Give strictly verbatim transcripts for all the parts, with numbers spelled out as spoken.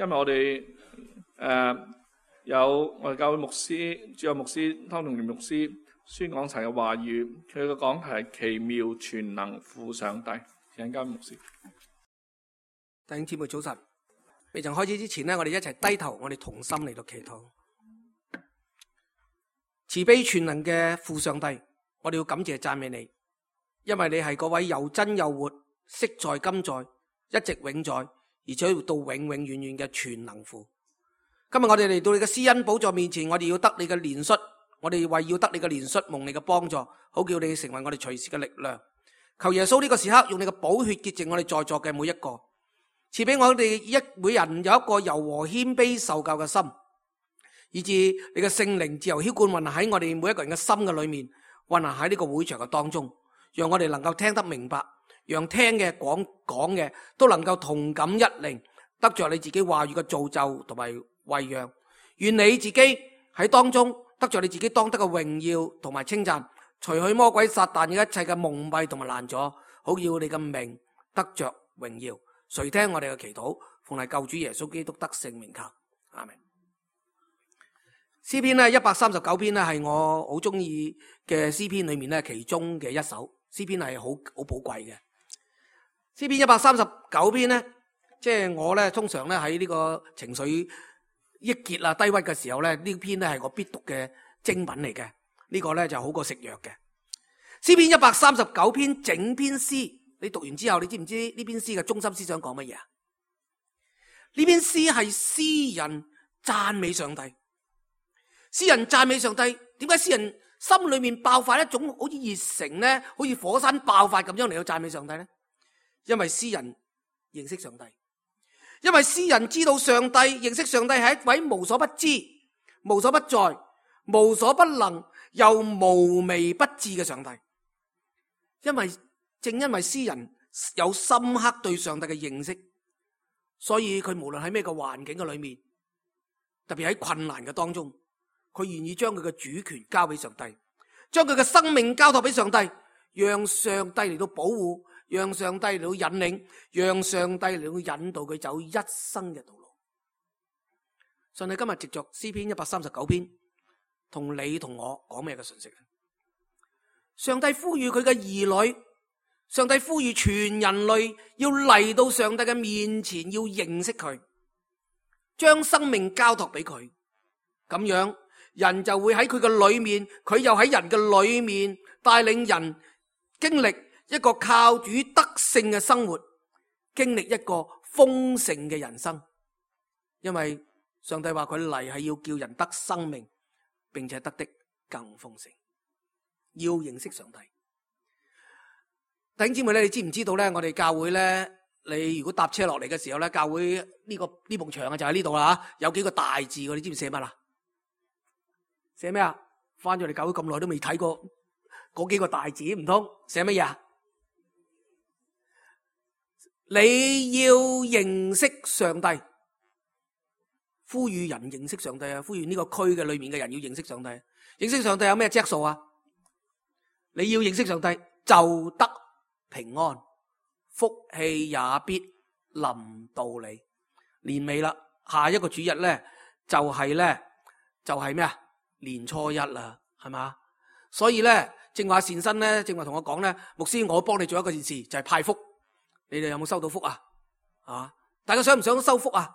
今日我哋誒、呃、有我哋教會牧師主任牧師湯同年牧師宣講神嘅話語，佢嘅講題係奇妙全能父上帝。請教會牧師。弟兄姊妹早晨，未曾開始之前呢，我哋一齊低頭，我哋同心嚟到祈禱。慈悲全能嘅父上帝，我哋要感謝讚美你，因為你係嗰位又真又活、昔在今在、一直永在，而且要到永永遠遠嘅全能父。今日我哋嚟到你嘅施恩寶座面前，我哋要得你嘅憐恤，我哋為要得你嘅憐恤，蒙你嘅幫助，好叫你成為我哋隨時嘅力量。求耶穌呢個時刻用你嘅寶血潔淨我哋在座嘅每一個，賜俾我哋一每人有一個柔和謙卑受教嘅心，以致你嘅聖靈自由澆灌運行喺我哋每一個人嘅心嘅裏面，運行喺呢個會場嘅當中，讓我哋能夠聽得明白，讓聽嘅講講嘅都能夠同感一靈，得着你自己話語嘅造就同埋餵養。願你自己喺當中得着你自己當得嘅榮耀同埋稱讚，除去魔鬼撒旦嘅一切嘅蒙蔽同埋攔阻，好叫你嘅名得着榮耀。垂聽我哋嘅祈禱，奉係救主耶穌基督得聖名求，阿們。詩篇咧一百三十九篇咧係我好中意嘅詩篇裏面咧其中嘅一首詩篇，係好好寶貴嘅。詩篇一百三十九篇咧，即係我咧通常咧喺呢個情緒鬱結啊低鬱嘅時候咧，呢篇咧係我必讀嘅精品嚟嘅。呢個咧就好過食藥嘅。詩篇一百三十九篇整篇詩，你讀完之後，你知唔知呢篇詩嘅中心思想講乜嘢啊？呢篇詩係詩人讚美上帝。詩人讚美上帝，點解詩人心裏面爆發一種好似熱誠咧，好似火山爆發咁樣嚟到讚美上帝咧？因為詩人認識上帝，因為詩人知道上帝，認識上帝係一位無所不知、無所不在、無所不能又無微不至嘅上帝。因為正因為詩人有深刻對上帝嘅認識，所以佢無論喺咩個環境嘅裏面，特別喺困難嘅當中，佢願意將佢嘅主權交俾上帝，將佢嘅生命交託俾上帝，讓上帝嚟到保護，讓上帝嚟到引領，讓上帝嚟到引導佢走一生嘅道路。上帝今日藉着詩篇一百三十九篇，同你同我講咩嘅信息？上帝呼籲佢嘅兒女，上帝呼籲全人類要嚟到上帝嘅面前，要認識佢，將生命交託俾佢，咁樣人就會喺佢嘅裏面，佢又喺人嘅裏面帶領人經歷一個靠主得勝嘅生活，經歷一個豐盛嘅人生。因為上帝話佢嚟係要叫人得生命，並且得的更豐盛。要認識上帝。弟兄姊妹咧，你知唔知道咧？我哋教會咧，你如果搭車落嚟嘅時候咧，教會呢個呢埲牆啊就喺呢度啦，有幾個大字，你知唔知寫乜啦？寫咩啊？翻咗嚟教會咁耐都未睇過嗰幾個大字，唔通寫乜嘢啊？你要認識上帝，呼籲人認識上帝啊！呼籲呢個區嘅裏面嘅人要認識上帝。認識上帝有咩質素啊？你要認識上帝就得平安，福氣也必臨到你。年尾啦，下一個主日咧就係咧就係咩啊？年初一啦，係嘛？所以咧，正話善心咧，正話同我講咧，牧師，我幫你做一個件事，就係派福。你哋有冇收到福啊？啊，大家想唔想收福啊？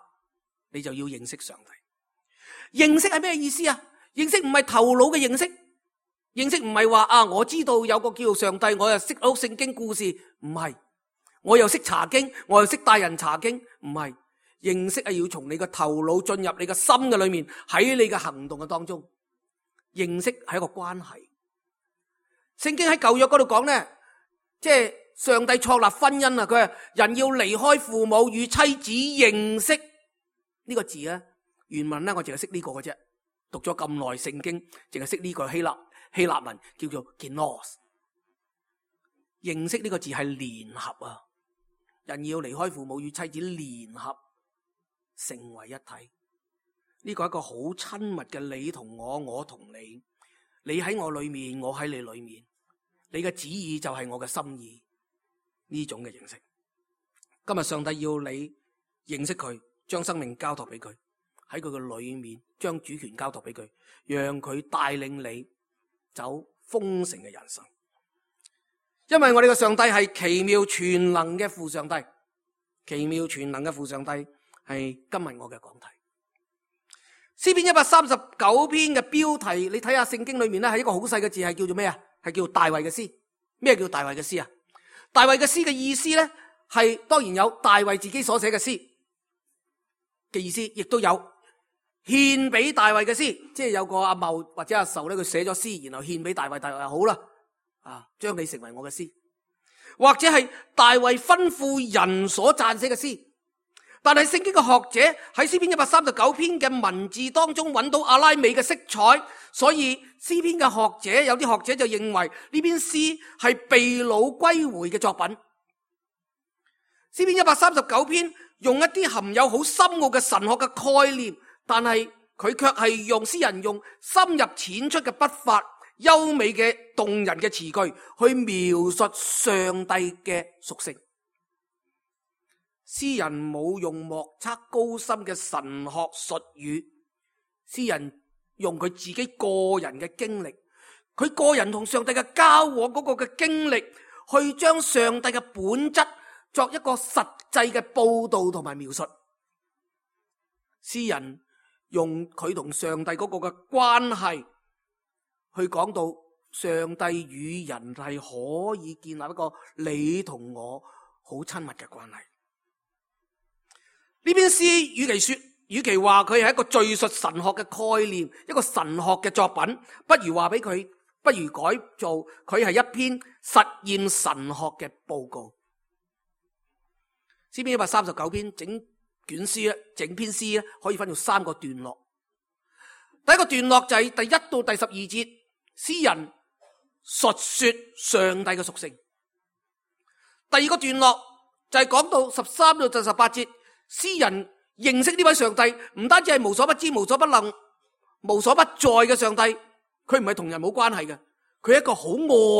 你就要認識上帝。認識係咩意思啊？認識唔係頭腦嘅認識，認識唔係話啊，我知道有個叫做上帝，我又識到聖經故事，唔係。我又識查經，我又識帶人查經，唔係。認識係要從你個頭腦進入你個心嘅裏面，喺你嘅行動嘅當中。認識係一個關係。聖經喺舊約嗰度講咧，即係上帝創立婚姻啊，佢話人要離開父母與妻子認識呢個字啊。原文咧我淨係識呢個嘅啫，讀咗咁耐聖經，淨係識呢個希臘希臘文叫做 genos。認識呢個字係聯合啊，人要離開父母與妻子聯合成為一體。呢個係一個好親密嘅你同我，我同你，你喺我裏面，我喺你裏面，你嘅旨意就係我嘅心意，呢種嘅認識。今日上帝要你認識佢，將生命交託俾佢，喺佢嘅裏面將主權交託俾佢，讓佢帶領你走豐盛嘅人生。因為我哋嘅上帝係奇妙全能嘅父上帝，奇妙全能嘅父上帝係今日我嘅講題。詩篇一百三十九篇嘅標題，你睇下聖經裏面咧，係一個好細嘅字，係叫做咩啊？係叫大衛嘅詩。咩叫大衛嘅詩啊？大衛嘅詩嘅意思咧，係當然有大衛自己所寫嘅詩嘅意思，亦都有獻俾大衛嘅詩，即係有個阿茂或者阿壽咧，佢寫咗詩，然後獻俾大衛，大衛話好啦，啊，將你成為我嘅詩，或者係大衛吩咐人所撰寫嘅詩。但係聖經嘅學者喺詩篇一百三十九篇嘅文字當中揾到阿拉美嘅色彩，所以詩篇嘅學者有啲學者就認為呢篇詩係被擄歸回嘅作品。詩篇一百三十九篇用一啲含有好深奧嘅神學嘅概念，但係佢卻係用詩人用深入淺出嘅筆法、優美嘅動人嘅詞句去描述上帝嘅屬性。詩人冇用莫測高深嘅神學術語，詩人用佢自己個人嘅經歷，佢個人同上帝嘅交往嗰個嘅經歷，去將上帝嘅本質作一個實際嘅報道同埋描述。詩人用佢同上帝嗰個嘅關係，去講到上帝與人係可以建立一個你同我好親密嘅關係。呢篇詩與其說，與其話佢係一個敘述神學嘅概念，一個神學嘅作品，不如話俾佢，不如改做佢係一篇實驗神學嘅報告。詩篇一百三十九篇整卷詩咧，整篇詩咧可以分做三個段落。第一個段落就係第一到第十二節，詩人述說上帝嘅屬性。第二個段落就係講到十三到十八節。詩人認識呢位上帝，唔單止係無所不知、無所不能、無所不在嘅上帝，佢唔係同人冇關係嘅，佢係一個好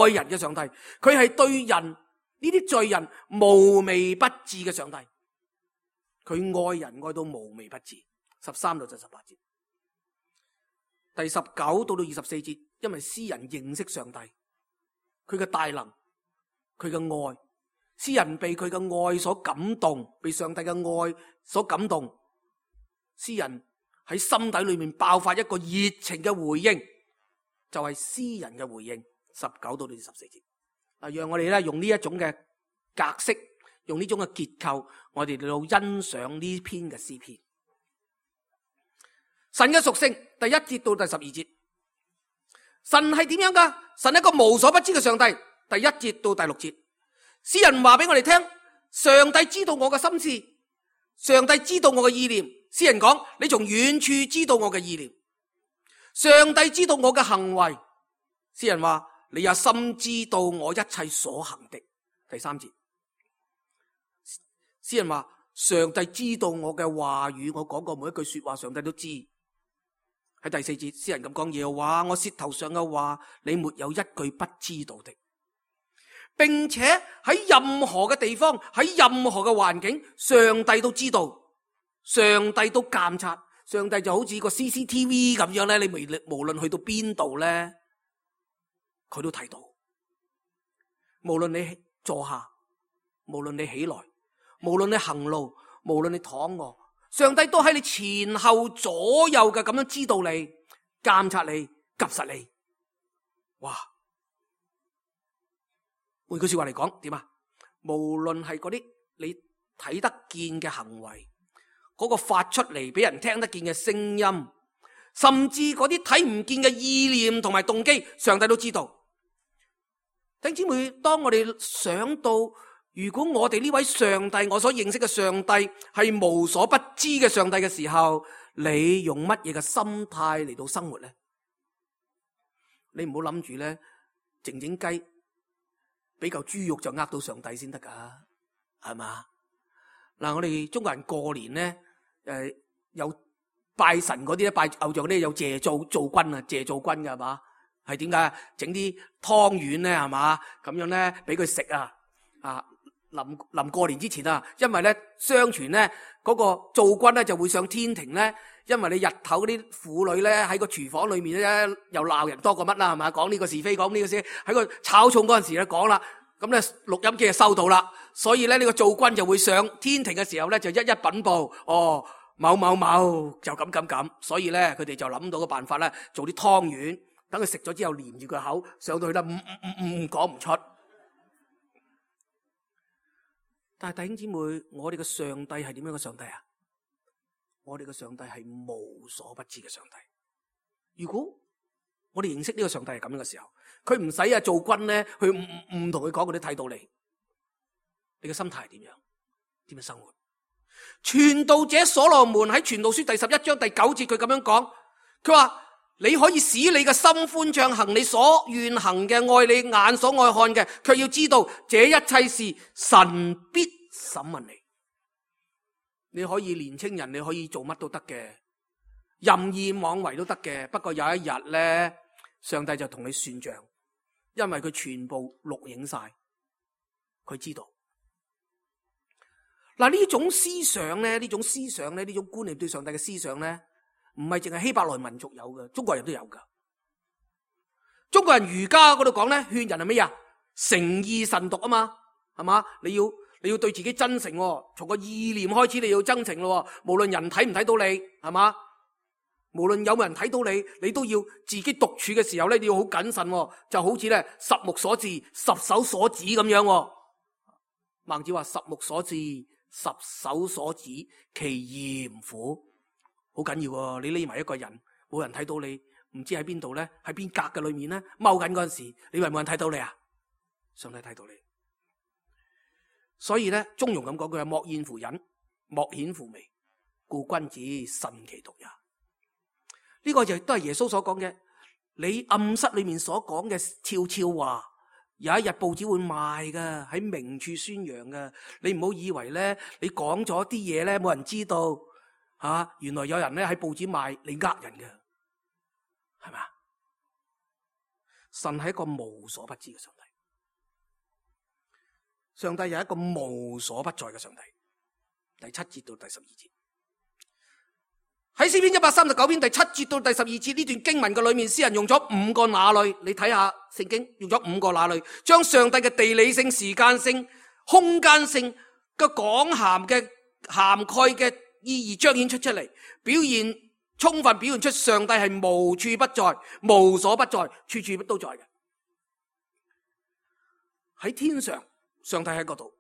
愛人嘅上帝，佢係對人呢啲罪人無微不至嘅上帝，佢愛人愛到無微不至。十三到十八節，第十九到到二十四節，因為詩人認識上帝，佢嘅大能，佢嘅愛。詩人被佢嘅愛所感動，被上帝嘅愛所感動，詩人喺心底裏面爆發一個熱情嘅回應，就係詩人嘅回應。十九到二十四節，嗱，讓我哋咧用呢一種嘅格式，用呢種嘅結構，我哋嚟到欣賞呢篇嘅詩篇。神嘅屬性，第一節到第十二節，神係點樣噶？神係一個無所不知嘅上帝。第一節到第六節。詩人話俾我哋聽，上帝知道我嘅心思，上帝知道我嘅意念。詩人講，你從遠處知道我嘅意念，上帝知道我嘅行為。詩人話，你也深知道我一切所行的。第三節，詩人話，上帝知道我嘅話語，我講過每一句說話，上帝都知。喺第四節，詩人咁講，耶和華，我舌頭上嘅話，你沒有一句不知道的。並且喺任何嘅地方，喺任何嘅環境，上帝都知道，上帝都監察，上帝就好似個 C C T V 咁樣咧，你無論去到邊度咧，佢都睇到。無論你坐下，無論你起來，無論你行路，無論你躺臥，上帝都喺你前後左右嘅咁樣知道你，監察你，及實你。哇！換句說話嚟講，點啊？無論係嗰啲你睇得見嘅行為，嗰個發出嚟俾人聽得見嘅聲音，甚至嗰啲睇唔見嘅意念同埋動機，上帝都知道。弟兄姊妹，當我哋想到，如果我哋呢位上帝，我所認識嘅上帝係無所不知嘅上帝嘅時候，你用乜嘢嘅心態嚟到生活咧？你唔好諗住咧，靜靜雞。俾嚿豬肉就呃到上帝先得噶，係嘛？嗱，我哋中國人過年咧，誒，有拜神嗰啲咧，拜偶像咧，有謝灶灶君啊，謝灶君噶係嘛？係點解？整啲湯圓咧，係嘛？咁樣咧，俾佢食啊，啊，臨臨過年之前啊，因為咧相傳咧嗰個灶君咧就會上天庭咧，因為你日頭嗰啲婦女咧喺個廚房裏面咧又鬧人多過乜啦，係咪？講呢個是非，講呢個是喺個炒餸嗰陣時咧講啦，咁咧錄音機就收到啦，所以咧呢個灶君就會上天庭嘅時候咧就一一稟報，哦某某某就咁咁咁，所以咧佢哋就諗到個辦法咧，做啲湯圓，等佢食咗之後黏住個口，上到去啦，唔唔唔唔講唔出。但係弟兄姊妹，我哋嘅上帝係點樣嘅上帝啊？我哋嘅上帝係無所不知嘅上帝。如果我哋認識呢個上帝係咁樣嘅時候，佢唔使啊做君咧，去唔唔同佢講，佢都睇到你。你嘅心態係點樣？點樣生活？傳道者所羅門喺傳道書第十一章第九節，佢咁樣講，佢話你可以使你嘅心歡暢，行你所願行嘅，愛你眼所愛看嘅，卻要知道這一切事神必審問你。你可以年青人，你可以做乜都得嘅，任意妄為都得嘅。不過有一日咧，上帝就同你算賬，因為佢全部錄影晒，佢知道。嗱，呢種思想咧，呢種思想咧，呢種觀念對上帝嘅思想咧，唔係淨係希伯來民族有嘅，中國人都有噶。中國人儒家嗰度講咧，勸人係咩啊？誠意慎獨啊嘛，係嘛？你要你要對自己真誠，從個意念開始你要真誠咯。無論人睇唔睇到你，係嘛？無論有冇人睇到你，你都要自己獨處嘅時候咧，你要好謹慎，就好似咧十目所至、十手所指咁樣。孟子話：十目所至、十手所指，其嚴乎。好緊要喎！你匿埋一個人，冇人睇到你，唔知喺邊度咧，喺邊格嘅裏面咧，踎緊嗰陣時，你以為冇人睇到你啊？上帝睇到你。所以咧，中庸咁講句：莫厭乎隱，莫顯乎微，故君子慎其獨也。呢、這個就都係耶穌所講嘅。你暗室裏面所講嘅悄悄話，有一日報紙會賣噶，喺明處宣揚噶。你唔好以為咧，你講咗啲嘢咧，冇人知道。吓、啊，原來有人咧喺報紙賣你呃人嘅，係咪啊？神係一個無所不知嘅上帝，上帝係一個無所不在嘅上帝。第七節到第十二節，喺詩篇一百三十九篇第七節到第十二節呢段經文嘅裏面，詩人用咗五個那類，你睇下聖經用咗五個那類，將上帝嘅地理性、時間性、空間性嘅廣涵嘅涵蓋嘅意義彰顯出出嚟，表現充分表現出上帝係無處不在、無所不在、處處都在嘅。喺天上，上帝喺嗰度。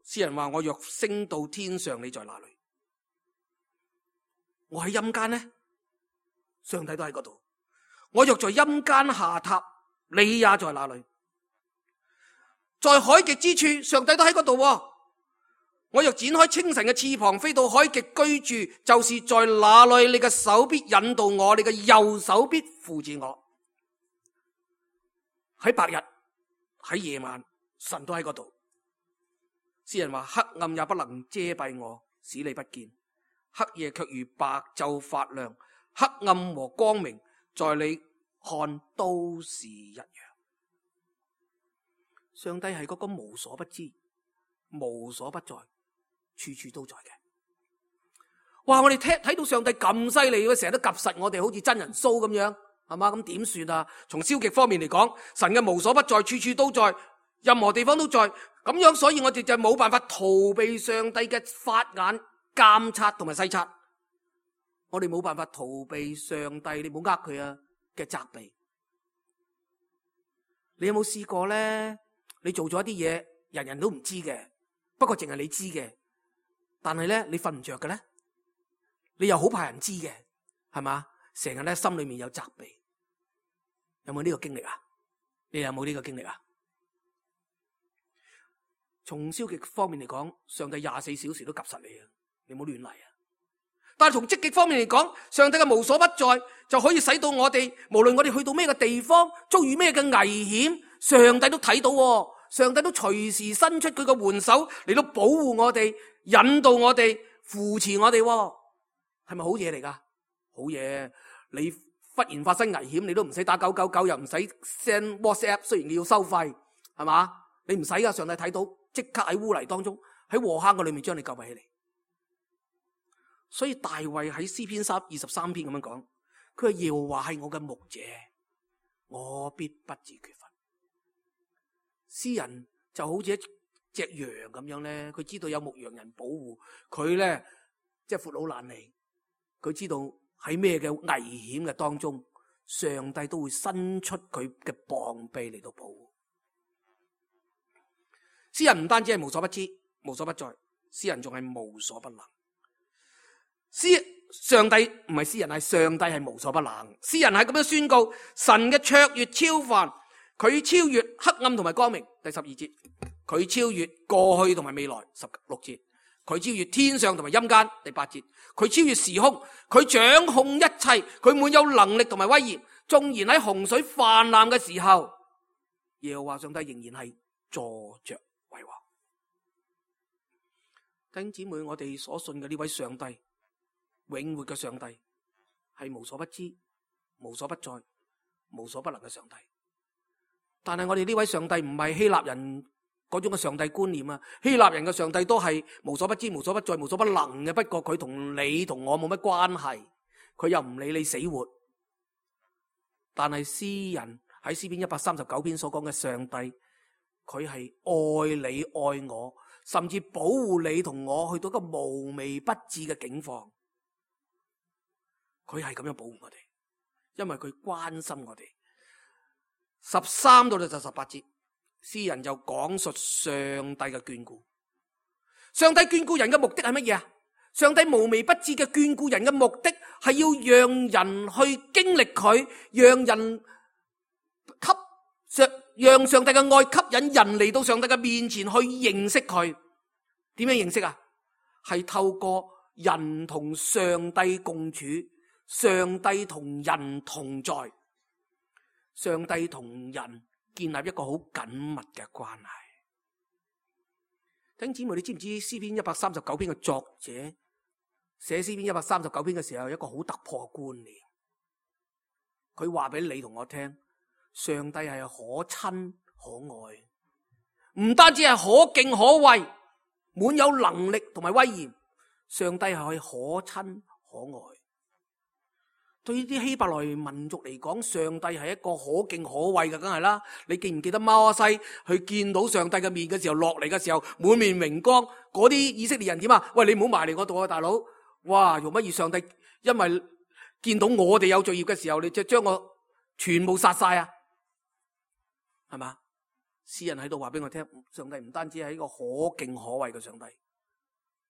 詩人話：我若升到天上，你在哪裏？我喺陰間呢，上帝都喺嗰度。我若在陰間下榻，你也在哪裏？在海極之處，上帝都喺嗰度。我若展開清晨嘅翅膀，飛到海極居住，就是在那裏，你嘅手必引導我，你嘅右手必扶持我。喺白日，喺夜晚，神都喺嗰度。詩人話：黑暗也不能遮蔽我，使你不見；黑夜卻如白晝發亮。黑暗和光明，在你看都是一樣。上帝係嗰個無所不知、無所不在、處處都在嘅。哇！我哋睇睇到上帝咁犀利，成日都及實我哋，好似真人 show 咁樣，係嘛？咁點算啊？從消極方面嚟講，神嘅無所不在，處處都在，任何地方都在，咁樣，所以我哋就冇辦法逃避上帝嘅法眼監察同埋細察。我哋冇辦法逃避上帝，你唔好呃佢啊嘅責備。你有冇試過咧？你做咗一啲嘢，人人都唔知嘅，不過淨係你知嘅。但係咧，你瞓唔着嘅咧，你又好怕人知嘅，係嘛？成日咧心裏面有責備。有冇呢個經歷啊？你有冇呢個經歷啊？從消極方面嚟講，上帝廿四小時都及實你啊！你唔好亂嚟啊！但係從積極方面嚟講，上帝嘅無所不在就可以使到我哋，無論我哋去到咩嘅地方，遭遇咩嘅危險，上帝都睇到喎，上帝都隨時伸出佢嘅援手嚟到保護我哋、引導我哋、扶持我哋喎，係咪好嘢嚟噶？好嘢！你忽然發生危險，你都唔使打九九九，又唔使 send WhatsApp，雖然你要收費，係嘛？你唔使噶，上帝睇到，即刻喺污泥當中，喺禍坑嘅裏面將你救起嚟。所以大衛喺詩篇三二十三篇咁樣講，佢話耶和華係我嘅牧者，我必不致缺乏。詩人就好似一隻羊咁樣咧，佢知道有牧羊人保護佢咧，即係闊佬懶理。佢知道喺咩嘅危險嘅當中，上帝都會伸出佢嘅膀臂嚟到保護。詩人唔單止係無所不知、無所不在，詩人仲係無所不能。詩上帝唔係詩人，係上帝係無所不能。詩人係咁樣宣告神嘅卓越超凡，佢超越黑暗同埋光明。第十二節，佢超越過去同埋未來。十六節，佢超越天上同埋陰間。第八節，佢超越時空，佢掌控一切，佢滿有能力同埋威嚴。縱然喺洪水泛濫嘅時候，耶和華上帝仍然係坐着為王。弟兄姊妹，我哋所信嘅呢位上帝，永活嘅上帝，係無所不知、無所不在、無所不能嘅上帝。但係我哋呢位上帝唔係希臘人嗰種嘅上帝觀念啊！希臘人嘅上帝都係無所不知、無所不在、無所不能嘅。不過佢同你同我冇乜關係，佢又唔理你死活。但係詩人喺詩篇一百三十九篇所講嘅上帝，佢係愛你愛我，甚至保護你同我去到一個無微不至嘅境況。佢係咁樣保護我哋，因為佢關心我哋。十三到到十八節，詩人就講述上帝嘅眷顧。上帝眷顧人嘅目的係乜嘢啊？上帝無微不至嘅眷顧人嘅目的係要讓人去經歷佢，讓人吸上，讓上帝嘅愛吸引人嚟到上帝嘅面前去認識佢。點樣認識啊？係透過人同上帝共處，上帝同人同在，上帝同人建立一個好緊密嘅關係。弟兄姊妹，你知唔知詩篇一百三十九篇嘅作者寫詩篇一百三十九篇嘅時候，有一個好突破嘅觀念。佢話俾你同我聽，上帝係可親可愛，唔單止係可敬可畏，滿有能力同埋威嚴。上帝係可以可親可愛。對於啲希伯來民族嚟講，上帝係一個可敬可畏嘅，梗係啦。你記唔記得摩西去見到上帝嘅面嘅時候，落嚟嘅時候滿面榮光，嗰啲以色列人點啊？喂，你唔好埋嚟我度啊，大佬！哇，用乜嘢？上帝因為見到我哋有罪孽嘅時候，你就將我全部殺晒啊？係嘛？詩人喺度話俾我聽，上帝唔單止係一個可敬可畏嘅上帝，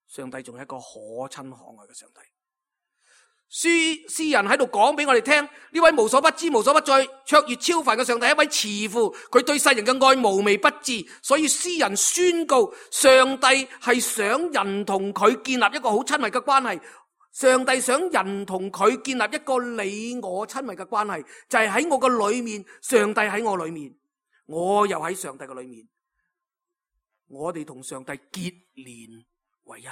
上帝仲係一個可親可愛嘅上帝。詩詩人喺度講俾我哋聽，呢位無所不知、無所不在、卓越超凡嘅上帝，一位慈父，佢對世人嘅愛無微不至。所以詩人宣告，上帝係想人同佢建立一個好親密嘅關係。上帝想人同佢建立一個你我親密嘅關係，就係喺我嘅裏面，上帝喺我裏面，我又喺上帝嘅裏面，我哋同上帝結連為一，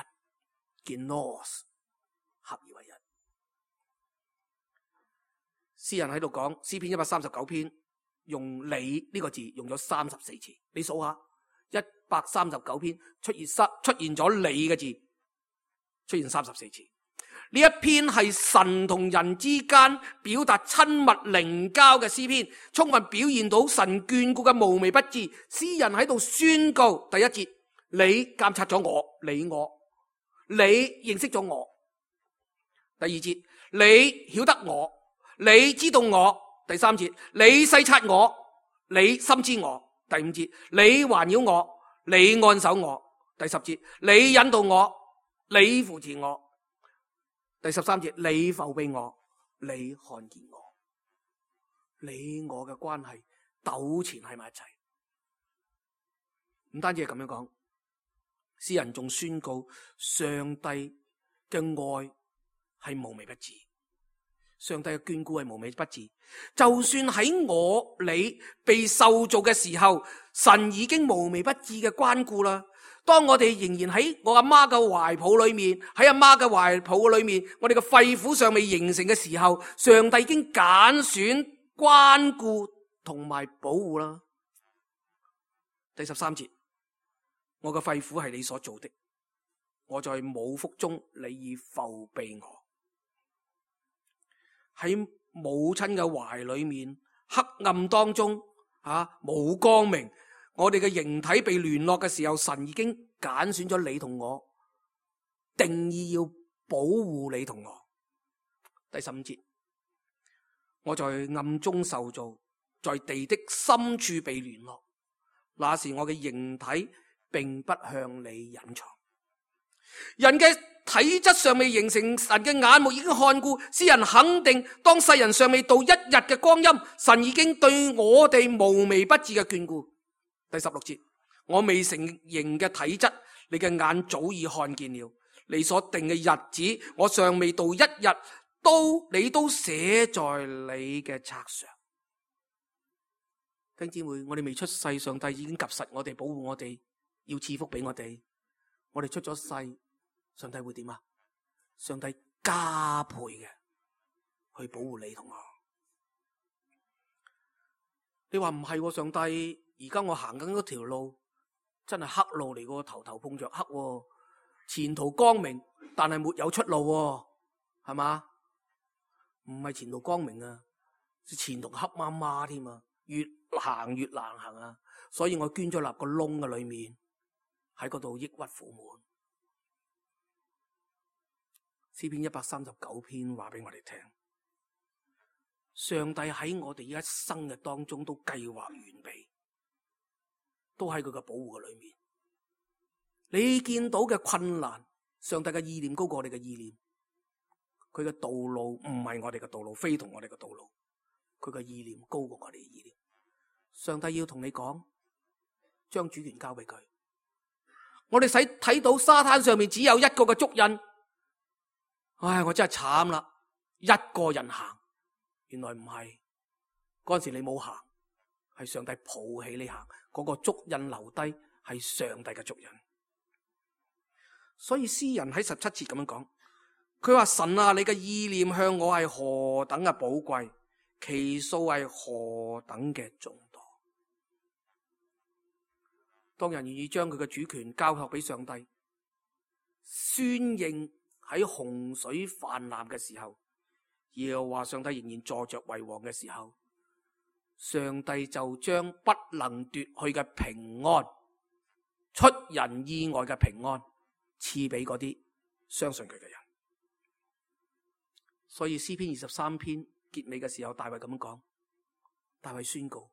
結 nos 合而為一。詩人喺度講詩篇一百三十九篇，用你呢個字用咗三十四次。你數下，一百三十九篇出現三出現咗你嘅字，出現三十四次。呢一篇係神同人之間表達親密靈交嘅詩篇，充分表現到神眷顧嘅無微不至。詩人喺度宣告：第一節，你監察咗我，你我，你認識咗我；第二節，你曉得我，你知道我；第三節，你細察我，你深知我；第五節，你環繞我，你按手我；第十節，你引導我，你扶持我；第十三節，你覆庇我，你看見我。你我嘅關係糾纏喺埋一齊。唔單止係咁樣講，詩人仲宣告上帝嘅愛係無微不至。上帝嘅眷顧係無微不至，就算喺我你被受造嘅時候，神已經無微不至嘅關顧啦。當我哋仍然喺我阿媽嘅懷抱裏面，喺阿媽嘅懷抱裏面，我哋嘅肺腑尚未形成嘅時候，上帝已經揀選、關顧同埋保護啦。第十三節，我嘅肺腑係你所做的，我在母腹中，你已覆庇我。喺母親嘅懷裏面，黑暗當中啊，冇光明。我哋嘅形體被聯絡嘅時候，神已經揀選咗你同我，定意要保護你同我。第十五節，我在暗中受造，在地的深處被聯絡，那時我嘅形體並不向你隱藏。人嘅體質尚未形成，神嘅眼目已經看顧，詩人肯定當世人尚未到一日嘅光陰，神已經對我哋無微不至嘅眷顧。第十六節，我未成形嘅體質，你嘅眼早已看見了，你所定嘅日子，我尚未到一日，都你都寫在你嘅冊上。弟兄姊妹，我哋未出世，上帝已經及實我哋，保護我哋，要賜福俾我哋。我哋出咗世，上帝會點啊？上帝加倍嘅去保護你同我。你話唔係，上帝而家我行緊嗰條路真係黑路嚟，個頭頭碰着黑，前途光明，但係沒有出路，係嘛？唔係前途光明啊，前途黑麻麻添啊，越行越難行啊！所以我捐咗立個窿嘅裏面，喺嗰度抑鬱苦悶。詩篇一百三十九篇話俾我哋聽，上帝喺我哋一生嘅當中都計劃完備，都喺佢嘅保護嘅裏面。你見到嘅困難，上帝嘅意念高過我哋嘅意念，佢嘅道路唔係我哋嘅道路，非同我哋嘅道路，佢嘅意念高過我哋嘅意念。上帝要同你講，將主權交俾佢。我哋使睇到沙灘上面只有一個嘅足印，唉，我真係慘啦！一個人行，原來唔係，嗰陣時你冇行，係上帝抱起你行，嗰個足印留低係上帝嘅足印。所以詩人喺十七節咁樣講，佢話神啊，你嘅意念向我係何等嘅寶貴，其數係何等嘅眾多。當人願意將佢嘅主權交託俾上帝，宣認喺洪水泛濫嘅時候，耶和華上帝仍然坐着為王嘅時候，上帝就將不能奪去嘅平安，出人意外嘅平安賜俾嗰啲相信佢嘅人。所以詩篇二十三篇結尾嘅時候，大衛咁樣講，大衛宣告，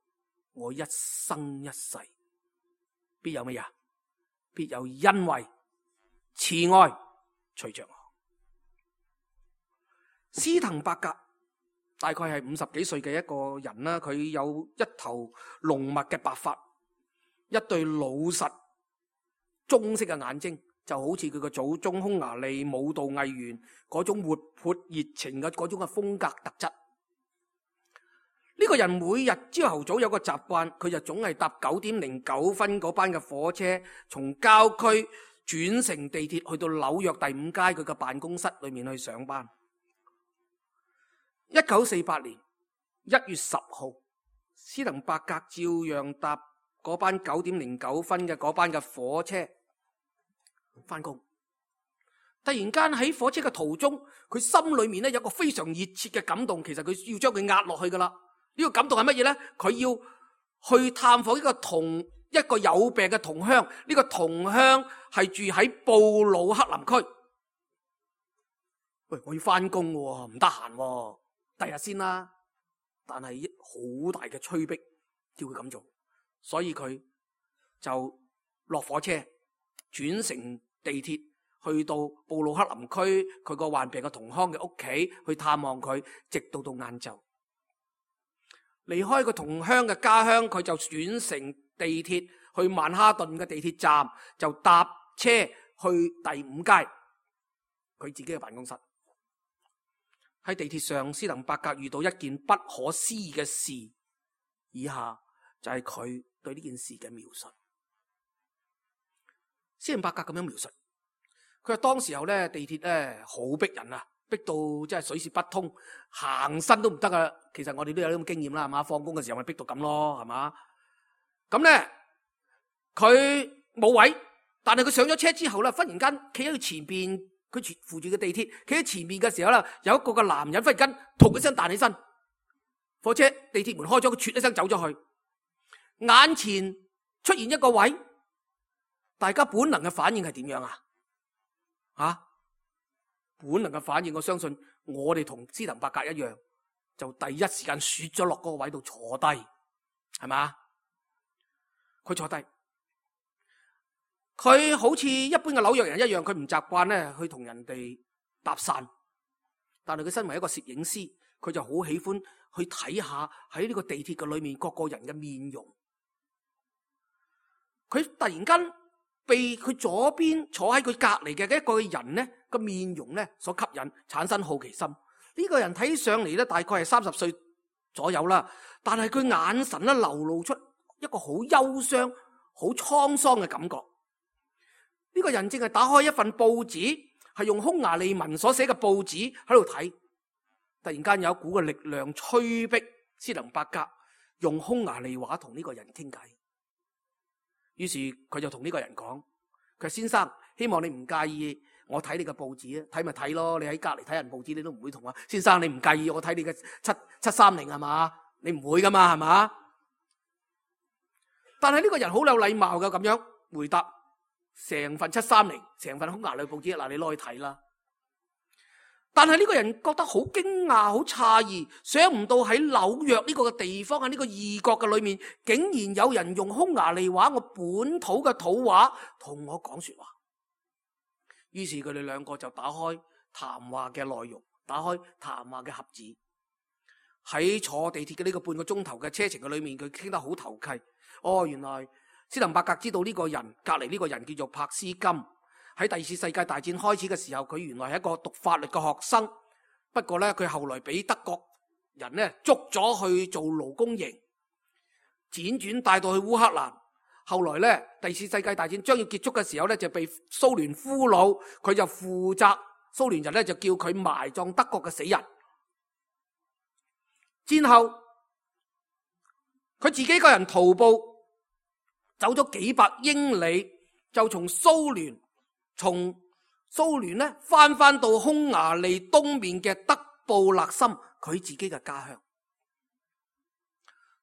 我一生一世必有乜嘢？必有恩惠慈愛隨着我。斯滕伯格大概係五十幾歲嘅一個人啦，佢有一頭濃密嘅白髮，一對老實棕色嘅眼睛，就好似佢個祖宗匈牙利舞蹈藝員嗰種活潑熱情嘅嗰種嘅風格特質。呢個人每日朝頭早有個習慣，佢就總係搭九點零九分嗰班嘅火車，從郊區轉乘地鐵去到紐約第五街佢嘅辦公室裏面去上班。一九四八年一月十號，斯滕伯格照樣搭嗰班九點零九分嘅嗰班嘅火車翻工。突然間喺火車嘅途中，佢心裏面咧有個非常熱切嘅感動，其實佢要將佢壓落去噶啦。呢個感動係乜嘢咧？佢要去探訪一個同一個有病嘅同鄉，呢個同鄉係住喺布魯克林區。喂，我要翻工喎，唔得閒喎，第日先啦。但係好大嘅催逼叫佢咁做，所以佢就落火車轉乘地鐵去到布魯克林區佢個患病嘅同鄉嘅屋企去探望佢，直到到晏晝。離開個同鄉嘅家鄉，佢就轉乘地鐵去曼哈頓嘅地鐵站，就搭車去第五街佢自己嘅辦公室。喺地鐵上，斯滕伯格遇到一件不可思議嘅事，以下就係佢對呢件事嘅描述。斯滕伯格咁樣描述，佢話當時候咧地鐵咧好逼人啊，逼到真係水泄不通，行身都唔得啊！其實我哋都有呢種經驗啦，係嘛？放工嘅時候咪逼到咁咯，係嘛？咁咧佢冇位，但係佢上咗車之後咧，忽然間企喺佢前邊，佢扶住個地鐵，企喺前面嘅時候咧，有一個嘅男人忽然間突一聲彈起身，火車地鐵門開咗，佢啜一聲走咗去，眼前出現一個位，大家本能嘅反應係點樣啊？啊，本能嘅反應，我相信我哋同斯滕伯格一樣，就第一時間雪咗落嗰個位度坐低，係嘛？佢坐低。佢好似一般嘅紐約人一樣，佢唔習慣咧去同人哋搭訕，但係佢身為一個攝影師，佢就好喜歡去睇下喺呢個地鐵嘅裏面各個人嘅面容。佢突然間被佢左邊坐喺佢隔籬嘅一個人咧個面容咧所吸引，產生好奇心。呢個人睇上嚟咧大概係三十歲左右啦，但係佢眼神咧流露出一個好憂傷、好滄桑嘅感覺。呢個人正係打開一份報紙，係用匈牙利文所寫嘅報紙喺度睇。突然間有一股嘅力量催逼斯滕伯格用匈牙利話同呢個人傾偈。於是佢就同呢個人講：佢話先生，希望你唔介意我睇你嘅報紙啊，睇咪睇咯。你喺隔籬睇人報紙，你都唔會同我先生，你唔介意我睇你嘅七七三零係嘛？你唔會噶嘛係嘛？但係呢個人好有禮貌嘅咁樣回答。成份七三零，成份匈牙利報紙，嗱，你攞去睇啦。但係呢個人覺得好驚訝、好詫異，想唔到喺紐約呢個地方，喺呢個異國嘅裏面，竟然有人用匈牙利話，我本土嘅土話同我講說話。於是佢哋兩個就打開談話嘅內容，打開談話嘅盒子。喺坐地鐵嘅呢個半個鐘頭嘅車程嘅裏面，佢傾得好投契。哦，原來斯滕伯格知道呢個人，隔籬呢個人叫做柏斯金。喺第二次世界大戰開始嘅時候，佢原來係一個讀法律嘅學生，不過咧佢後來俾德國人咧捉咗去做勞工營，輾轉帶到去烏克蘭。後來咧第二次世界大戰將要結束嘅時候咧，就被蘇聯俘虜，佢就負責，蘇聯人咧就叫佢埋葬德國嘅死人。之後佢自己一個人徒步走咗幾百英里，就從蘇聯從蘇聯咧翻翻到匈牙利東面嘅德布勒森，佢自己嘅家鄉。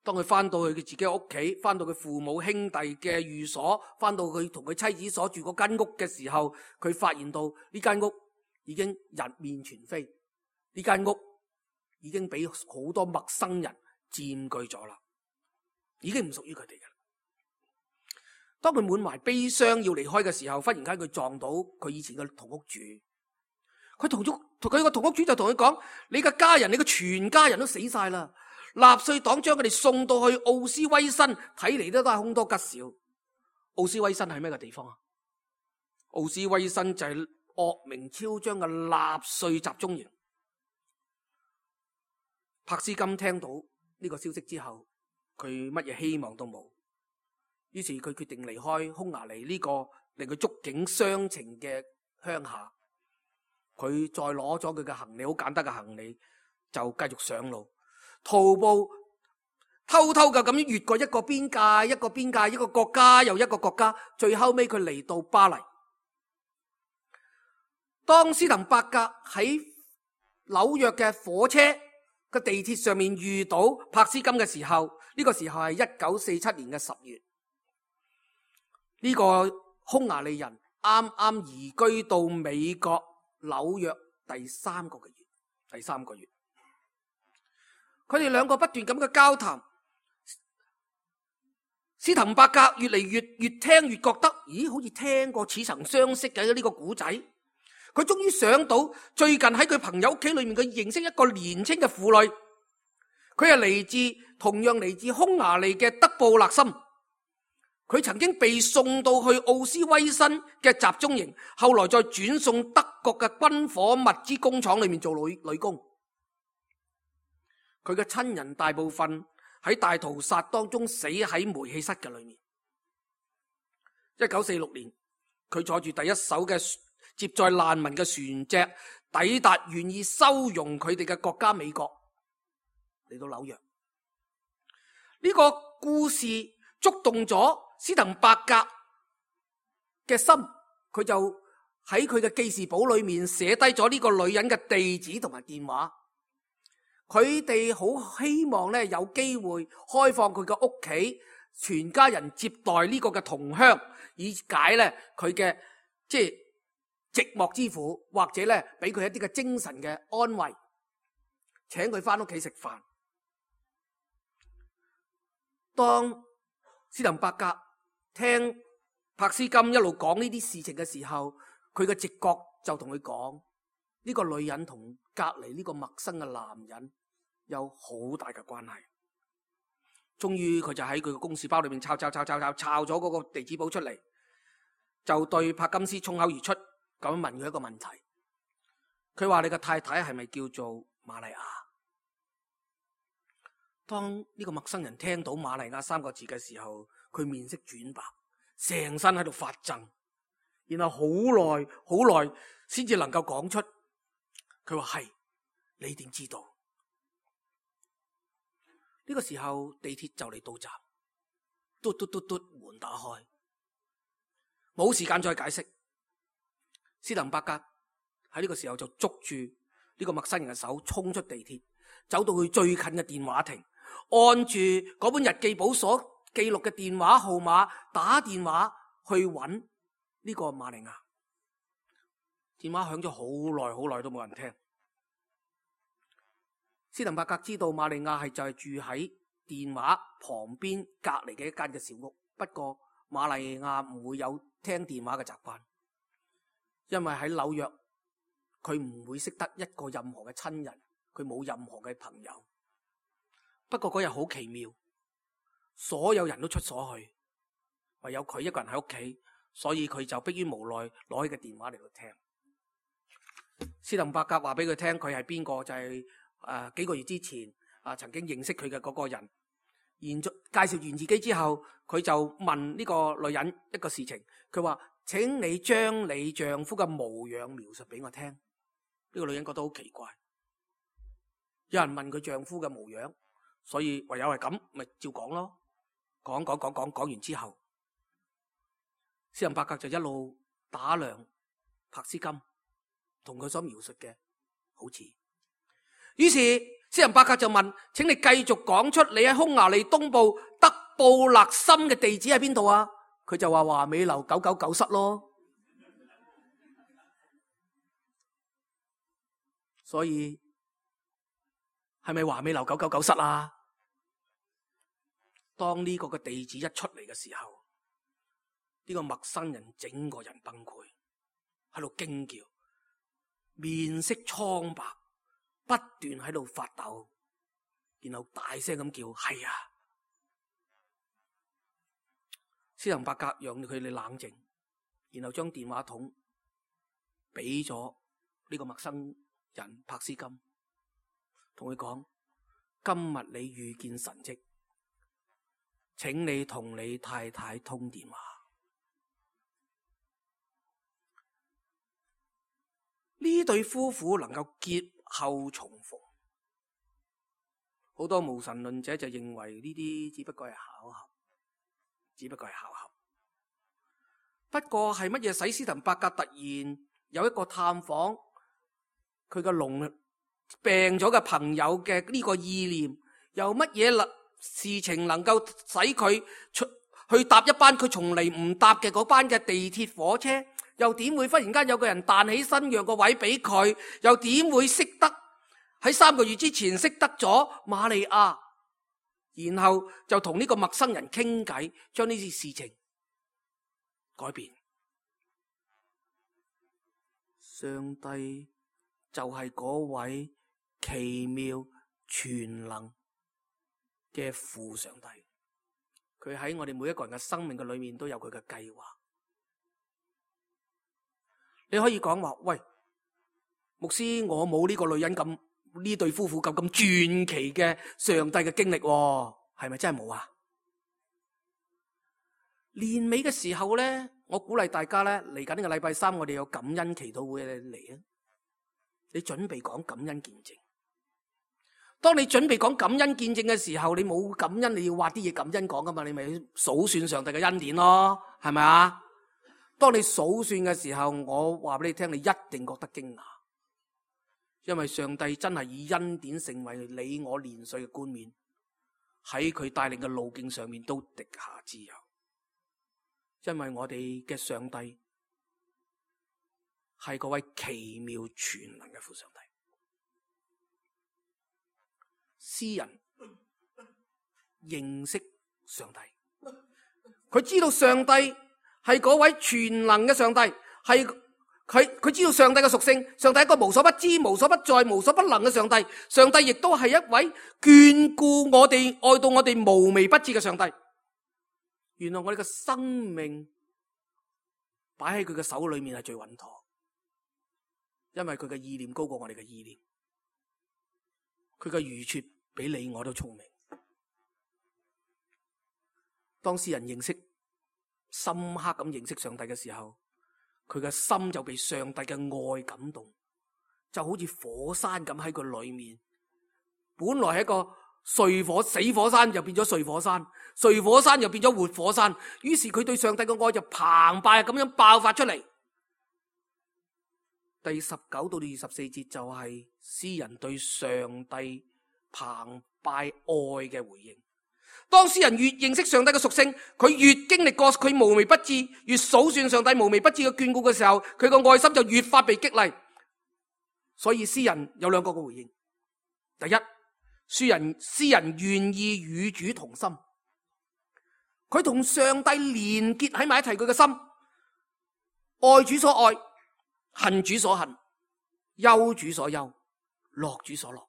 當佢翻到去佢自己嘅屋企，翻到佢父母兄弟嘅寓所，翻到佢同佢妻子所住嗰間屋嘅時候，佢發現到呢間屋已經人面全非，呢間屋已經俾好多陌生人佔據咗啦，已經唔屬於佢哋嘅。當佢滿懷悲傷要離開嘅時候，忽然間佢撞到佢以前嘅同屋主，佢同屋同佢個同屋主就同佢講：你嘅家人，你嘅全家人都死晒啦！納粹黨將佢哋送到去奧斯威辛，睇嚟都都係凶多吉少。奧斯威辛係咩嘅地方啊？奧斯威辛就係惡名昭彰嘅納粹集中營。柏斯金聽到呢個消息之後，佢乜嘢希望都冇。於是佢決定離開匈牙利呢個令佢觸景傷情嘅鄉下，佢再攞咗佢嘅行李，好簡單嘅行李，就繼續上路，徒步偷偷嘅咁樣越過一個邊界，一個邊界，一個國家又一個國家，最後尾佢嚟到巴黎。當斯滕伯格喺紐約嘅火車嘅地鐵上面遇到柏斯金嘅時候，呢個時候係一九四七年嘅十月。呢個匈牙利人啱啱移居到美國紐約第三個嘅月，第三個月，佢哋兩個不斷咁嘅交談，斯滕伯格越嚟越越聽越覺得，咦，好似聽過似曾相識嘅呢個古仔。佢終於想到最近喺佢朋友屋企裏面，佢認識一個年輕嘅婦女，佢係嚟自同樣嚟自匈牙利嘅德布勒森。佢曾經被送到去奧斯威辛嘅集中營，後來再轉送德國嘅軍火物資工廠裏面做女女工。佢嘅親人大部分喺大屠殺當中死喺煤氣室嘅裏面。一九四六年，佢坐住第一艘嘅接載難民嘅船隻，抵達願意收容佢哋嘅國家美國，嚟到紐約。呢個故事觸動咗斯滕伯格嘅心，佢就喺佢嘅記事簿裏面寫低咗呢個女人嘅地址同埋電話。佢哋好希望咧有機會開放佢嘅屋企，全家人接待呢個嘅同鄉，以解咧佢嘅即係寂寞之苦，或者咧俾佢一啲嘅精神嘅安慰，請佢翻屋企食飯。當斯滕伯格聽柏斯金一路講呢啲事情嘅時候，佢嘅直覺就同佢講，呢個女人同隔籬呢個陌生嘅男人有好大嘅關係。終於佢就喺佢嘅公事包裏面抄抄抄抄抄抄咗嗰個地址簿出嚟，就對柏金斯衝口而出咁問佢一個問題。佢話：你嘅太太係咪叫做瑪利亞？當呢個陌生人聽到瑪利亞三個字嘅時候，佢面色轉白，成身喺度發震，然後好耐好耐先至能夠講出。佢話：係，你點知道？呢個時候地鐵就嚟到站，嘟嘟嘟嘟，門打開，冇時間再解釋。斯滕伯格喺呢個時候就捉住呢個陌生人嘅手，衝出地鐵，走到去最近嘅電話亭，按住嗰本日記簿所記錄嘅電話號碼打電話去揾呢個瑪利亞。電話響咗好耐好耐都冇人聽。斯滕伯格知道瑪利亞係就係住喺電話旁邊隔籬嘅一間嘅小屋，不過瑪利亞唔會有聽電話嘅習慣，因為喺紐約佢唔會識得一個任何嘅親人，佢冇任何嘅朋友。不過嗰日好奇妙，所有人都出所去，唯有佢一個人喺屋企，所以佢就迫於無奈攞起個電話嚟到聽。斯滕伯格話俾佢聽佢係邊個，就係、是。誒、呃，幾個月之前啊、呃，曾經認識佢嘅嗰個人，然介紹完自己之後，佢就問呢個女人一個事情。佢話：請你將你丈夫嘅模樣描述俾我聽。呢、這個女人覺得好奇怪，有人問佢丈夫嘅模樣，所以唯有係咁，咪照講咯。講講講講講完之後，斯滕伯格就一路打量柏斯金，同佢所描述嘅好似。於是斯滕伯格就問：請你繼續講出你喺匈牙利東部德布勒森嘅地址喺邊度啊？佢就話華美樓九九九室咯。所以係咪華美樓九九九室啊？當呢個嘅地址一出嚟嘅時候，呢個陌生人整個人崩潰，喺度驚叫，面色蒼白，不斷喺度發抖，然後大聲咁叫：係啊！斯滕伯格讓佢哋冷靜，然後將電話筒俾咗呢個陌生人柏斯金，同佢講：今日你遇見神蹟，請你同你太太通電話。呢對夫婦能夠結後重逢，好多無神論者就認為呢啲只不過係巧合，只不過係巧合。不過係乜嘢使斯滕伯格突然有一個探訪佢個聾病咗嘅朋友嘅呢個意念？有乜嘢事情能夠使佢去搭一班佢從嚟唔搭嘅嗰班嘅地鐵火車？又點會忽然間有個人彈起身讓個位俾佢？又點會識得喺三個月之前識得咗瑪利亞，然後就同呢個陌生人傾偈，將呢啲事情改變？上帝就係嗰位奇妙全能嘅父上帝，佢喺我哋每一個人嘅生命嘅裏面都有佢嘅計劃。你可以講話，喂，牧師，我冇呢個女人咁，呢對夫婦咁咁傳奇嘅上帝嘅經歷，係咪真係冇啊？年尾嘅時候咧，我鼓勵大家咧，嚟緊呢個禮拜三，我哋有感恩祈禱會嚟啊！你準備講感恩見證。當你準備講感恩見證嘅時候，你冇感恩，你要挖啲嘢感恩講噶嘛？你咪數算上帝嘅恩典咯，係咪啊？當你數算嘅時候，我話俾你聽，你一定覺得驚訝，因為上帝真係以恩典成為你我年歲嘅冠冕，喺佢帶領嘅路徑上面都滴下脂油，因為我哋嘅上帝係嗰位奇妙全能嘅父上帝。詩人認識上帝，佢知道上帝係嗰位全能嘅上帝，係佢佢知道上帝嘅屬性，上帝係一個無所不知、無所不在、無所不能嘅上帝。上帝亦都係一位眷顧我哋、愛到我哋無微不至嘅上帝。原來我哋嘅生命擺喺佢嘅手裏面係最穩妥，因為佢嘅意念高過我哋嘅意念，佢嘅愚拙比你我都聰明。當詩人認識深刻咁認識上帝嘅時候，佢嘅心就被上帝嘅愛感動，就好似火山咁喺佢裏面。本來係一個睡火死火山，就變咗睡火山，睡火山又變咗活火山。於是佢對上帝嘅愛就澎湃咁樣爆發出嚟。第十九到二十四節就係詩人對上帝澎湃愛嘅回應。當詩人越認識上帝嘅屬性，佢越經歷過佢無微不至，越數算上帝無微不至嘅眷顧嘅時候，佢個愛心就越發被激勵。所以詩人有兩個嘅回應：第一，詩人詩人願意與主同心，佢同上帝連結喺埋一齊，佢嘅心愛主所愛，恨主所恨，憂主所憂，樂主所樂。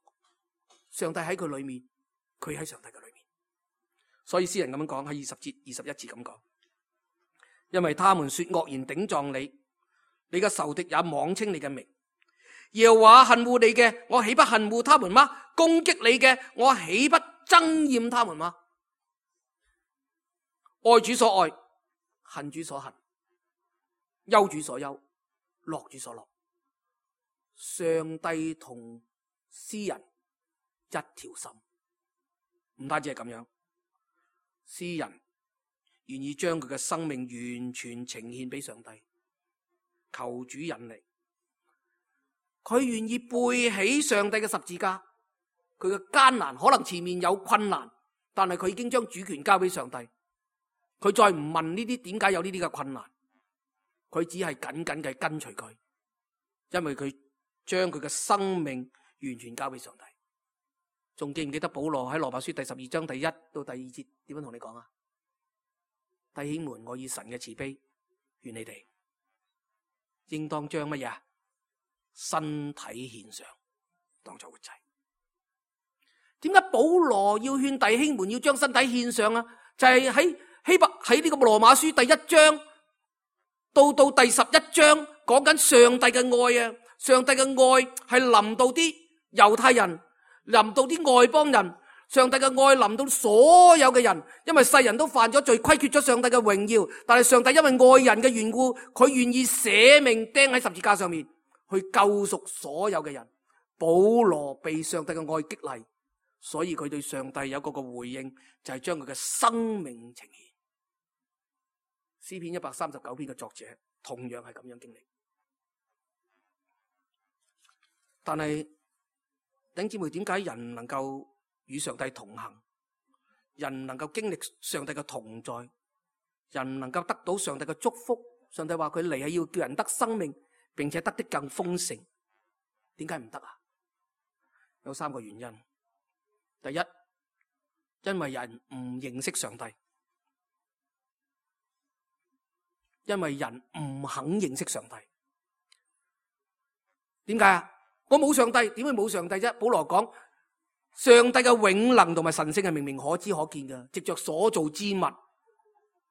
上帝喺佢裏面，佢喺上帝嘅裏面。所以詩人咁樣講，喺二十節、二十一節咁講，因為他們說惡言頂撞你，你嘅仇敵也妄稱你嘅名。耶和華恨惡你嘅，我豈不恨惡他們嗎？攻擊你嘅，我豈不憎厭他們嗎？愛主所愛，恨主所恨，憂主所憂，樂主所樂。上帝同詩人一條心，唔單止係咁樣。詩人願意將佢嘅生命完全呈獻俾上帝，求主引領。佢願意背起上帝嘅十字架，佢嘅艱難可能前面有困難，但係佢已經將主權交俾上帝。佢再唔問呢啲點解有呢啲嘅困難，佢只係緊緊嘅跟隨佢，因為佢將佢嘅生命完全交俾上帝。仲記唔記得保羅喺羅馬書第十二章第一到第二節點樣同你講啊？弟兄們，我以神嘅慈悲勸你哋，應當將乜嘢啊？身體獻上，當作活祭。點解保羅要勸弟兄們要將身體獻上啊？就係喺希伯喺呢個羅馬書第一章到到第十一章講緊上帝嘅愛啊！上帝嘅愛係臨到啲猶太人，臨到啲外邦人。上帝嘅愛臨到所有嘅人，因為世人都犯咗罪，虧缺咗上帝嘅榮耀。但係上帝因為愛人嘅緣故，佢願意捨命釘喺十字架上面，去救贖所有嘅人。保羅被上帝嘅愛激勵，所以佢對上帝有嗰個回應，就係將佢嘅生命呈現。詩篇一百三十九篇嘅作者同樣係咁樣經歷。但係弟兄姊妹，點解人能夠與上帝同行，人能夠經歷上帝嘅同在，人能夠得到上帝嘅祝福？上帝話佢嚟係要叫人得生命，並且得的更豐盛。點解唔得啊？有三個原因。第一，因為人唔認識上帝，因為人唔肯認識上帝。點解啊？我冇上帝，點會冇上帝啫？保羅講，上帝嘅永能同埋神聖係明明可知可見嘅，藉着所造之物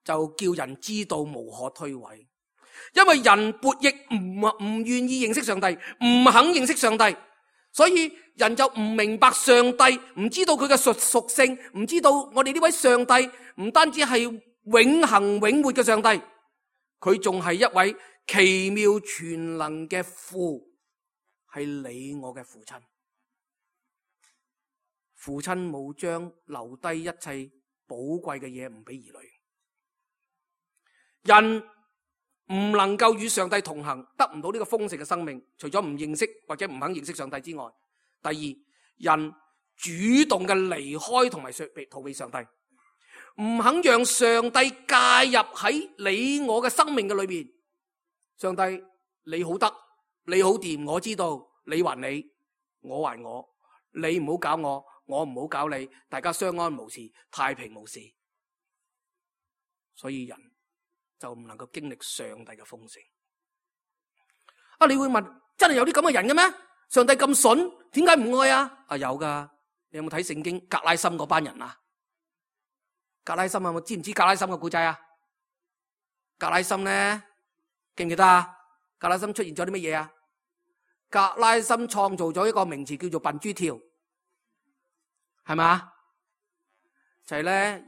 就叫人知道無可推諉。因為人悖逆，唔唔願意認識上帝，唔肯認識上帝，所以人就唔明白上帝，唔知道佢嘅屬屬性，唔知道我哋呢位上帝唔單止係永恆永活嘅上帝，佢仲係一位奇妙全能嘅父，係你我嘅父親。父親冇將留低一切寶貴嘅嘢唔俾兒女。人唔能夠與上帝同行，得唔到呢個豐盛嘅生命，除咗唔認識或者唔肯認識上帝之外，第二，人主動嘅離開同埋逃避上帝，唔肯讓上帝介入喺你我嘅生命嘅裏面。上帝，你好得，你好掂，我知道，你還你，我還我，你唔好搞我，我唔好搞你，大家相安無事，太平無事。所以人就唔能夠經歷上帝嘅豐盛。啊，你會問，真係有啲咁嘅人嘅咩？上帝咁筍，點解唔愛啊？啊，有噶，你有冇睇聖經格拉森嗰班人啊？格拉森啊，我知唔知格拉森嘅故仔啊？格拉森咧，記唔記得啊？格拉森出現咗啲乜嘢啊？格拉森創造咗一個名詞叫做笨豬跳，係咪？就係咧。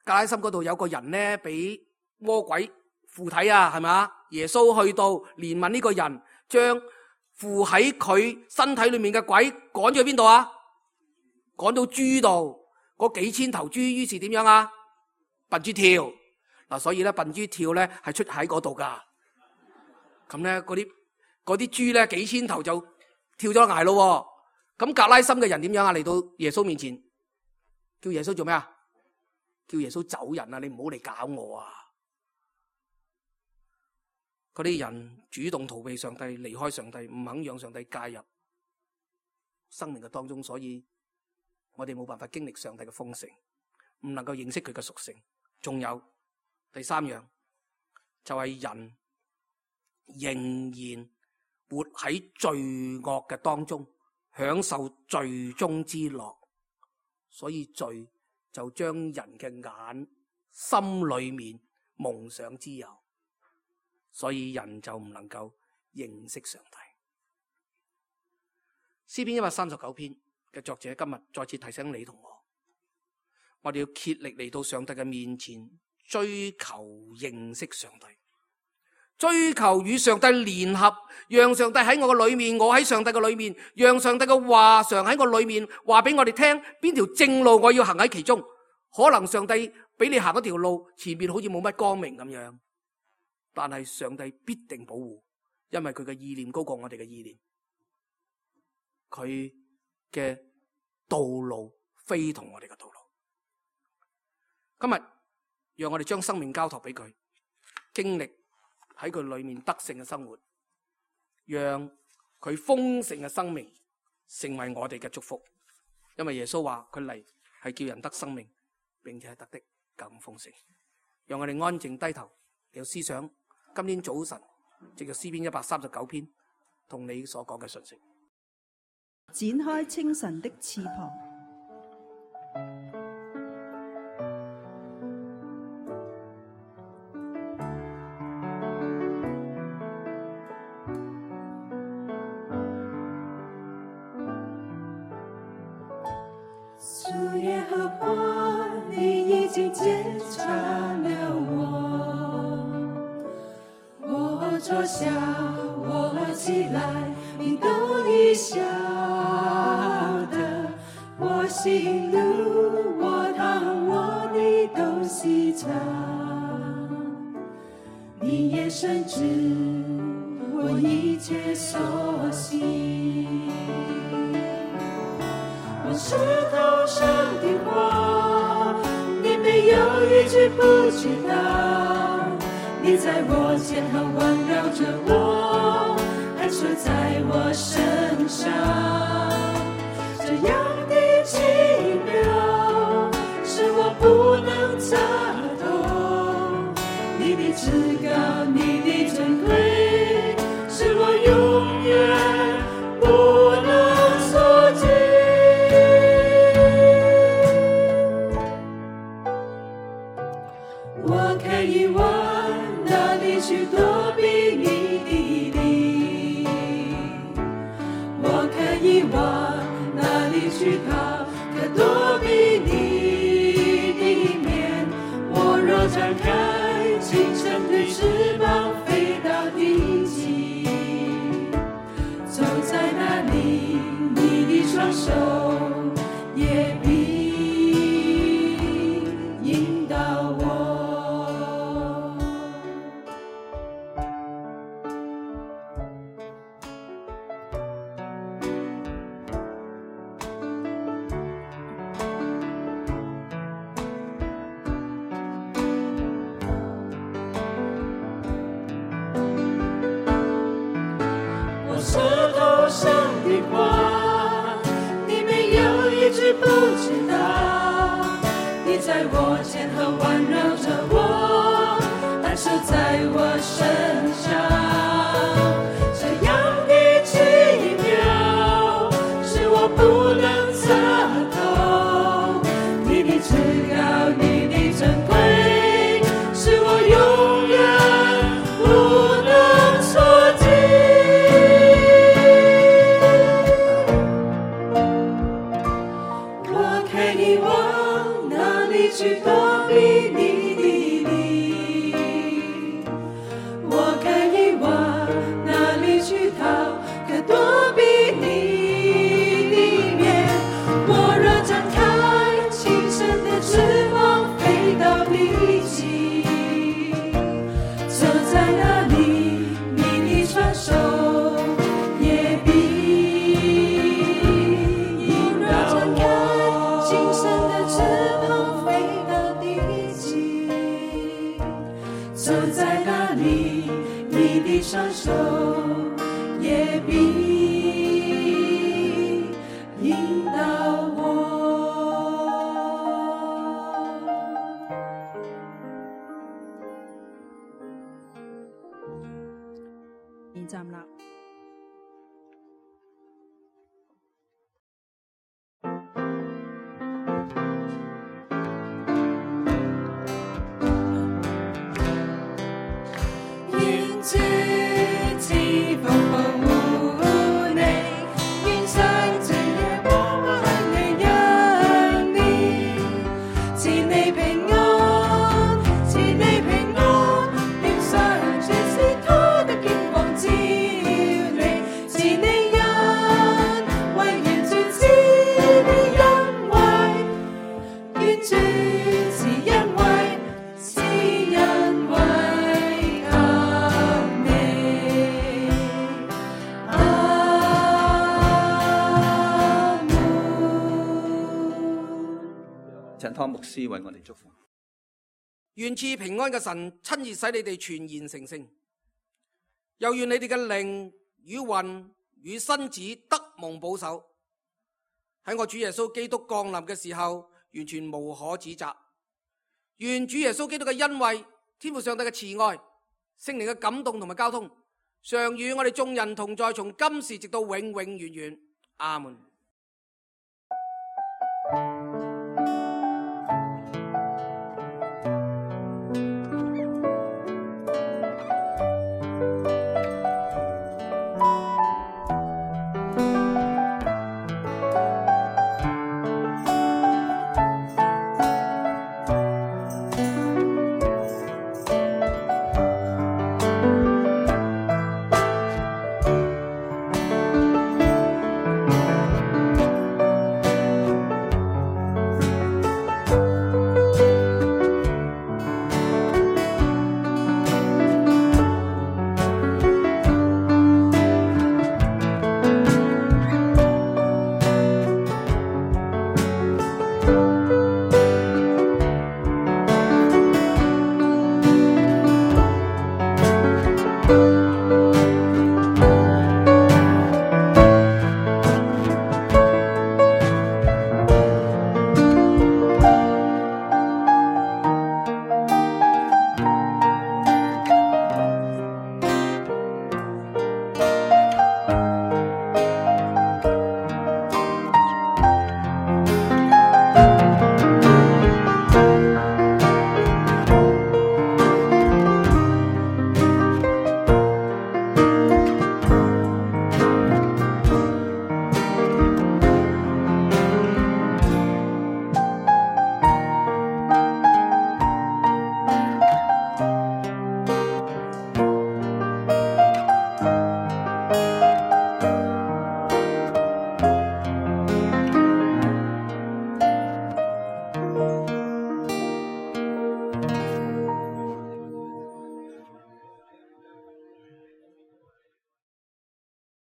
格拉森嗰度有個人咧，俾魔鬼附體啊，係咪？耶穌去到憐憫呢個人，將附喺佢身體裏面嘅鬼趕咗去邊度啊？趕到豬度，嗰幾千頭豬，於是點樣啊？笨豬跳嗱，所以咧笨豬跳咧係出喺嗰度噶。咁咧嗰啲嗰啲豬咧幾千頭就跳咗崖咯。咁格拉森嘅人點樣啊？嚟到耶穌面前，叫耶穌做咩啊？叫耶穌走人啊！你唔好嚟搞我啊！嗰啲人主動逃避上帝，離開上帝，唔肯讓上帝介入生命嘅當中，所以我哋冇辦法經歷上帝嘅豐盛，唔能夠認識佢嘅屬性。仲有第三樣就係人仍然活喺罪惡嘅當中，享受罪中之樂，所以罪就將人嘅眼心裏面蒙上之油，所以人就唔能夠認識上帝。詩篇一百三十九篇嘅作者今日再次提醒你同我，我哋要竭力嚟到上帝嘅面前，追求認識上帝，追求與上帝聯合，讓上帝喺我嘅裏面，我喺上帝嘅裏面，讓上帝嘅話常喺我裏面話俾我哋聽邊條正路我要行喺其中。可能上帝俾你行嗰條路前面好似冇乜光明咁樣，但係上帝必定保護，因為佢嘅意念高過我哋嘅意念，佢嘅道路非同我哋嘅道路。今日讓我哋將生命交託俾佢，經歷喺佢裏面得勝嘅生活，讓佢豐盛嘅生命成為我哋嘅祝福。因為耶穌話佢嚟係叫人得生命，並且係得的更豐盛。讓我哋安靜低頭，嚟思想今天早晨藉着詩篇一百三十九篇同你所講嘅信息。展開清晨的翅膀，樹葉和花，你已經檢查了我，我坐下，我起來，你都已曉得，我行路，我躺臥，你都細察，你也深知我一切所行。我石頭上的話，你沒有一句不知道，你在我肩後環繞着我，安守在我身上，這樣的奇妙是我不能測透，你的至高，你的尊貴是我永遠不能所及。我可以往哪裡去躲避你的靈？我可以往哪裡去逃？可躲避你的面？我若展開清晨的翅膀，飛到地極，走在哪裡，你的雙手也必引導我。话，你没有一句不知道。你在我肩后环绕着我，安守在我身上。这样的奇妙，是我不能测透。你的至高，你的珍贵，是我永远不能所及。我可以往哪里去躲避你的灵？我可以往哪里去逃，可躲避你的面？我若展开轻声的翅膀，飞到地极，走在哪里，你的双手也必引导我。轻声的翅膀飞到地极，走在哪里，你的双手也必引导我。現站立。願主賜福保你，願上主耶和華向你恩典，賜你平安，賜你平安，願上主賜他的見光照你，賜你恩惠，願主賜你恩惠，願主賜恩惠，賜恩惠。陳湯牧師為我哋祝福。願賜平安嘅神親自使你哋全然成聖，又願你哋嘅靈與魂與身子得蒙保守，喺我主耶穌基督降臨嘅時候完全無可指責。願主耶穌基督嘅恩惠、天父上帝嘅慈愛、聖靈嘅感動同埋交通，常與我哋眾人同在，從今時直到永永遠遠。阿門。